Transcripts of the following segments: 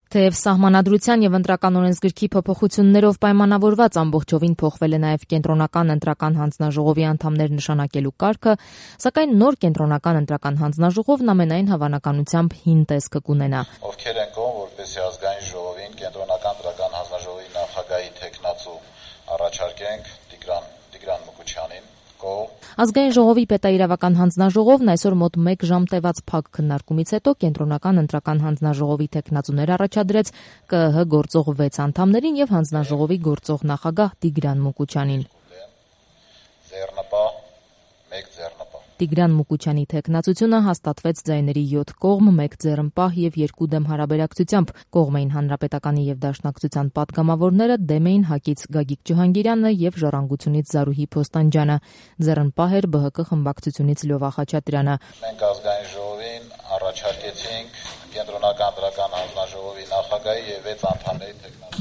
Թեև սահմանադրության եւ ընտրական օրենսգրքի փոփոխություններով պայմանավորված ամբողջովին փոխվել է նաեւ կենտրոնական ընտրական հանձնաժողովի անդամներ նշանակելու կարգը, սակայն նոր կենտրոնական ընտրական հանձնաժողովն ամենայն հավանականությամբ հին տեսքը կունենա։ Ովքեր են կողմ, որպեսզի ազգային ժողովին կենտրոնական ընտրական հանձնաժողովի նախագահի թեկնածու առաջարկենք Տիգրան Մուկուչյանին։ Ազգային ժողովի պետաիրավական հանձնաժողովն այսօր մոտ 1 ժամ տևած փակ քննարկումից հետո կենտրոնական ընտրական հանձնաժողովի թեկնածուներ առաջադրեց ԿԸՀ գործող 6 անդամներին եւ հանձնաժողովի գործող նախագահ Տիգրան Մուկուչյանին։ Տիգրան Մուկուչյանի թեկնածությունը հաստատվեց ձայների 7 կողմ, 1 ձեռնպահ եւ 2 դեմ հարաբերակցությամբ։ Կողմ էին Հանրապետականի եւ Դաշնակցության պատգամավորները, դեմ էին ՀԱԿ-ից Գագիկ Ջհանգիրյանը եւ Ժառանգությունից Զարուհի Փոստանջյանը։ Ձեռնպահ էր ԲՀԿ խմբակցությունից Լյովա Խաչատրյանը։ Մենք ազգային ժողովին առաջարկեցինք կենտրոնական ընտրական հանձնաժողովի նախագահի եւ 6 անդամների թեկնածուները։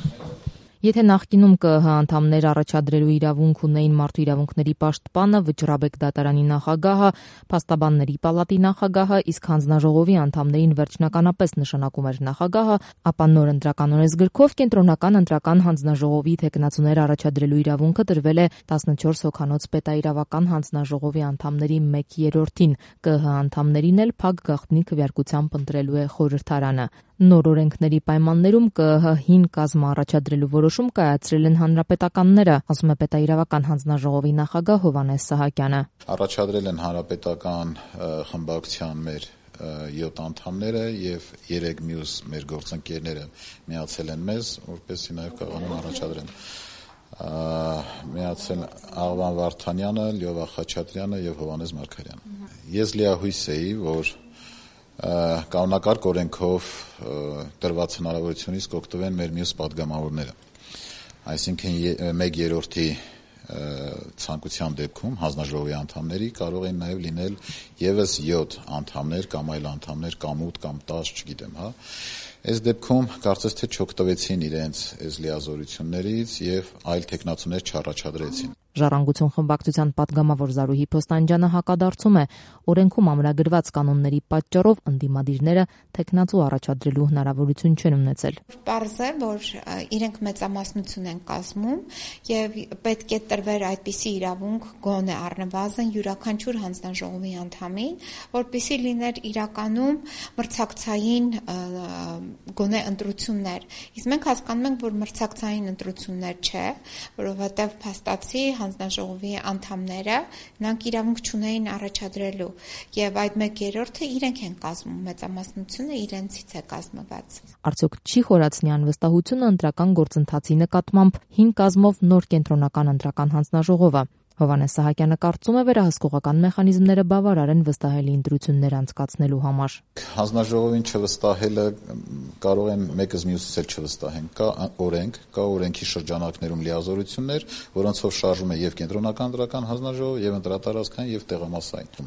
Եթե նախկինում ԿԸՀ անդամներ առաջադրելու իրավունք ունեին Մարդու իրավունքների պաշտպանը, Վճռաբեկ դատարանի նախագահը, Փաստաբանների պալատի նախագահը, իսկ հանձնաժողովի անդամներին վերջնականապես նշանակում էր նախագահը, ապա նոր ընտրական օրենսգրքով կենտրոնական ընտրական հանձնաժողովի թեկնածուներ առաջադրելու իրավունքը տրվել է 14 հոգանոց պետաիրավական հանձնաժողովի անդամների 1/3-ին, ԿԸՀ անդամներին էլ փակ գաղտնի քվեարկությամբ ընտրելու է խորհրդարանը։ Նոր օրենքների պայմաններում ԿԸՀ հին կազմ առաջադրելու որոշում կայացրել են հանրապետականները, ասում է պետաիրավական հանձնաժողովի նախագահ Հովհաննես Սահակյանը։ Առաջադրել են հանրապետական խմբակցության մեր 7 անդամները եւ 3 մյուս մեր գործընկերները միացել են մեզ, որպեսզի նաեւ կարողանան առաջադրեն։ Միացել Աղվան Վարդանյանը, Լյովա Խաչատրյանը եւ Հովհաննես Մարգարյանը։ Ես լիահույս էի, որ կանոնակարգ օրենքով տրված հնարավորությունից կօգտվեն մեր մյուս պատգամավորները, այսինքն 1/3-ի ցանկության դեպքում հանձնաժողովի անդամների կարող են նաև լինել եւս 7 անդամներ կամ այլ անդամներ կամ 8 կամ 10, չգիտեմ, հա։ Այս դեպքում կարծես թե չօգտվեցին իրենց այս լիազորություններից եւ այլ տեխնացուներ չառաջադրեցին։ Ժառանգություն խմբակցության պատգամավոր Զարուհի Փոստանջյանը հակադարձում է, օրենքում ամրագրված կանոնների պատճառով ընդդիմադիրները տեխնացու առաջադրելու հնարավորություն չեն ունեցել։ Պարզ է, որ իրենք մեծամասնություն են կազմում եւ պետք է տրվեր այդպիսի իրավունք գոնե առնվազն յուրաքանչյուր հանձնաժողովի անդամին, որպեսզի լիներ իրականում մրցակցային գոնե ընտրություններ։ Իսկ մենք հասկանում ենք, որ մրցակցային ընտրություններ չէ, որովհետեւ փաստացի հանձնաժողովի անդամները նրանք իրավունք չունեին առաջադրելու եւ այդ 1/3-ը իրենք են կազմում, մեծամասնությունը իրենցից է կազմված։ Արդյոք չի խորացնի անվստահությունը ընտրական գործընթացի նկատմամբ հին կազմով նոր կենտրոնական ընտրական հանձնաժողովը։ Հովհաննես Սահակյանը կարծում է, վերահսկողական մեխանիզմները բավարար են վստահելի ընտրություններ անցկացնելու համար։ Հանձնաժողովին չվստահելը կարող են մեկը մյուսից էլ չվստահեն։ Կա օրենքի շրջանակներում լիազորություններ, որոնցով շարժում է եւ կենտրոնական ընտրական հանձնաժողով, եւ ընտրատարածքային եւ տեղամասային։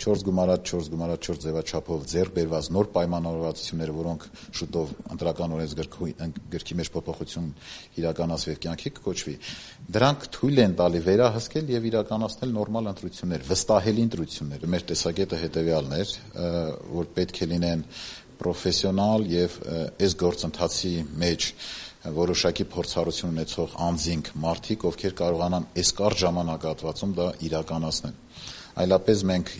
4+4+4 ձևաչափով ձեռք բերված նոր պայմանավորվածությունները, որոնք շուտով ընտրական օրենսգրքի մեջ փոփոխություն իրականացվի եւ կյանքի կոչվի, դրանք թույլ են տալի վերահսկել եւ իրականացնել նորմալ ընտրություններ, վստահելի ընտրություններ։ Մեր տեսակետը հետեւյալն էր, որ պետք է լինեն պրոֆեսիոնալ եւ այս գործընթացի մեջ որոշակի փորձառություն ունեցող անձինք, մարդիկ, ովքեր կարողանան այս կարճ ժամանակահատվածում դա իրականացնել։ Այլապես մենք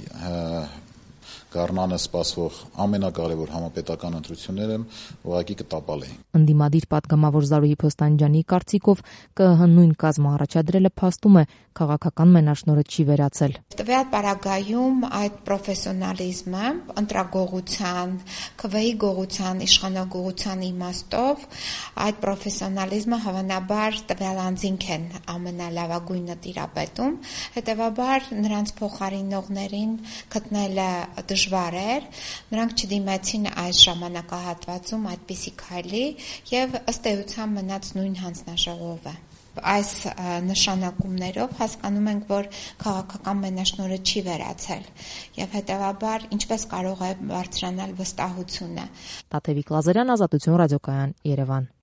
գարնանը սպասվող ամենակարևոր համապետական ընտրությունները ուղղակի կտապալեին։ Ընդդիմադիր պատգամավոր Զարուհի Փոստանջյանի կարծիքով ԿԸՀ նույն կազմը առաջադրելը փաստում է քաղաքական մենաշնորհը չի վերացել։ Տվյալ պարագայում այդ պրոֆեսիոնալիզմը, ընտրագողության, ԿՎ-ի գողության, իշխանագողության իմաստով այդ պրոֆեսիոնալիզմը հավանաբար տվյալ անձինք են ամենալավագույնը տիրապետում, հետևաբար նրանց փոխարինողներին գտնելը դժվար էր, նրանք չդիմեցին այս ժամանակահատվածում այդպիսի քայլի եւ ըստ էության մնաց նույն հանձնաժողովը։ Այս նշանակումներով հասկանում ենք, որ քաղաքական մենաշնորհը չի վերացել եւ հետեւաբար ինչպես կարող է բարձրանալ վստահությունը։ Տաթևիկ Լազարյան, Ազատություն ռադիոկայան, Երևան։